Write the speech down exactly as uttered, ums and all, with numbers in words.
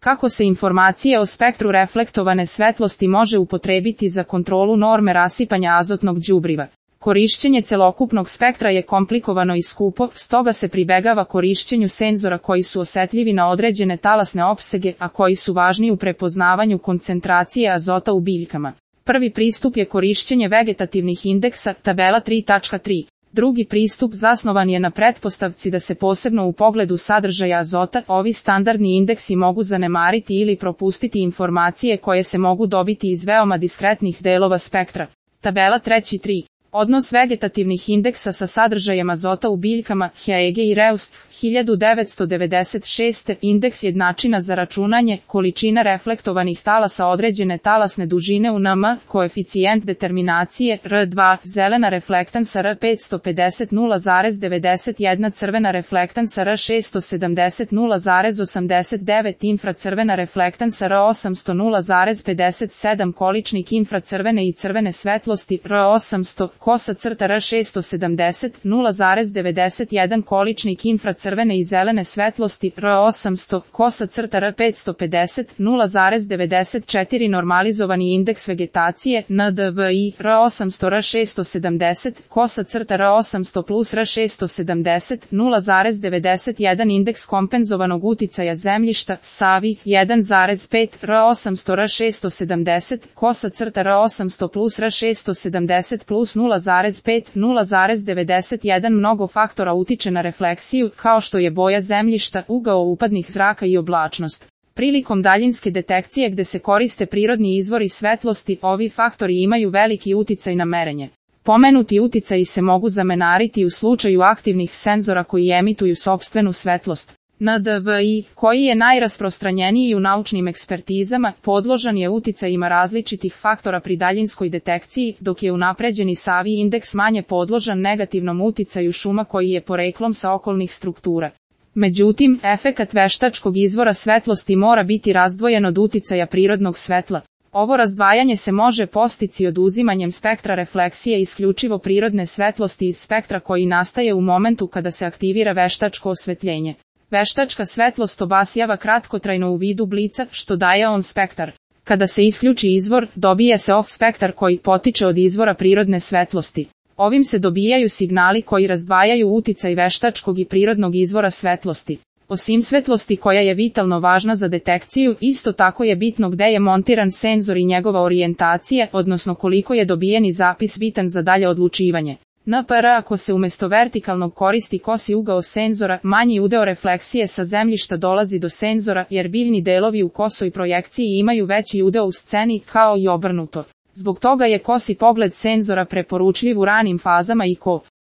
Kako se informacije o spektru reflektovane svetlosti može upotrebiti za kontrolu norme rasipanja azotnog đubriva? Korišćenje celokupnog spektra je komplikovano i skupo, stoga se pribegava korišćenju senzora koji su osetljivi na određene talasne opsege, a koji su važni u prepoznavanju koncentracije azota u biljkama. Prvi pristup je korišćenje vegetativnih indeksa, tabela tri tačka tri. Drugi pristup zasnovan je na pretpostavci da se posebno u pogledu sadržaja azota ovi standardni indeksi mogu zanemariti ili propustiti informacije koje se mogu dobiti iz veoma diskretnih delova spektra. Tabela tri tri. Odnos vegetativnih indeksa sa sadržajem azota u biljkama, Haege i Reust, hiljadu devetsto devedeset šeste. Indeks jednačina za računanje, količina reflektovanih talasa određene talasne dužine u N M, koeficijent determinacije, R dva, zelena reflektansa R petsto pedeset nula zarez devedeset jedan, crvena reflektansa R šesto sedamdeset nula zarez osamdeset devet, infracrvena reflektansa R osamsto nula zarez pedeset sedam, količnik infracrvene i crvene svetlosti, R osamsto, kosa crta R šesto sedamdeset nula zarez devedeset jedan, količnik infracrvene i zelene svetlosti, R osamsto, kosa crta R petsto pedeset nula zarez devedeset četiri, normalizovani indeks vegetacije, N D V I, R osamsto R šesto sedamdeset, kosa crta R osamsto plus R šesto sedamdeset nula zarez devedeset jedan, indeks kompenzovanog uticaja zemljišta, Savi, jedan zarez pet, R osamsto R šesto sedamdeset, kosa crta R osamsto plus R šesto sedamdeset plus nula zarez pet, nula zarez devedeset jedan. Mnogo faktora utiče na refleksiju, kao što je boja zemljišta, ugao upadnih zraka i oblačnost. Prilikom daljinske detekcije gde se koriste prirodni izvori svetlosti, ovi faktori imaju veliki uticaj na merenje. Pomenuti uticaji se mogu zamenariti u slučaju aktivnih senzora koji emituju sopstvenu svetlost. N D V I, koji je najrasprostranjeniji u naučnim ekspertizama, podložan je uticajima različitih faktora pri daljinskoj detekciji, dok je unapređeni Savi indeks manje podložan negativnom uticaju šuma koji je poreklom sa okolnih struktura. Međutim, efekat veštačkog izvora svetlosti mora biti razdvojen od uticaja prirodnog svetla. Ovo razdvajanje se može postići oduzimanjem spektra refleksije isključivo prirodne svetlosti iz spektra koji nastaje u momentu kada se aktivira veštačko osvetljenje. Veštačka svetlost obasjava kratkotrajno u vidu blica, što daje on spektar. Kada se isključi izvor, dobije se off spektar koji potiče od izvora prirodne svetlosti. Ovim se dobijaju signali koji razdvajaju uticaj veštačkog i prirodnog izvora svetlosti. Osim svetlosti koja je vitalno važna za detekciju, isto tako je bitno gde je montiran senzor i njegova orijentacija, odnosno koliko je dobijeni zapis bitan za dalje odlučivanje. N P R ako se umjesto vertikalnog koristi kosi ugao senzora, manji udeo refleksije sa zemljišta dolazi do senzora, jer biljni delovi u kosoj projekciji imaju veći udeo u sceni, kao i obrnuto. Zbog toga je kosi pogled senzora preporučljiv u ranim fazama i ko